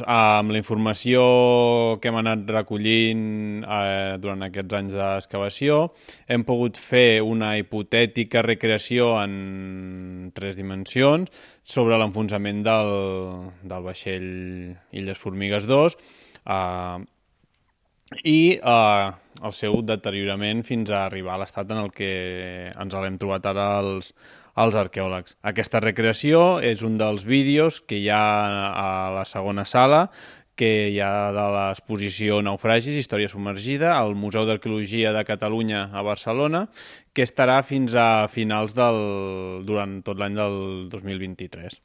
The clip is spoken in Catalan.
Amb la informació que hem anat recollint durant aquests anys d'excavació, hem pogut fer una hipotètica recreació en 3 dimensions sobre l'enfonsament del vaixell Illes Formigues 2 i el seu deteriorament fins a arribar a l'estat en el que ens l'hem trobat ara els arqueòlegs. Aquesta recreació és un dels vídeos que hi ha a la segona sala, que hi ha de l'exposició Naufragis, Història submergida, al Museu d'Arqueologia de Catalunya a Barcelona, que estarà fins a finals durant tot l'any del 2023.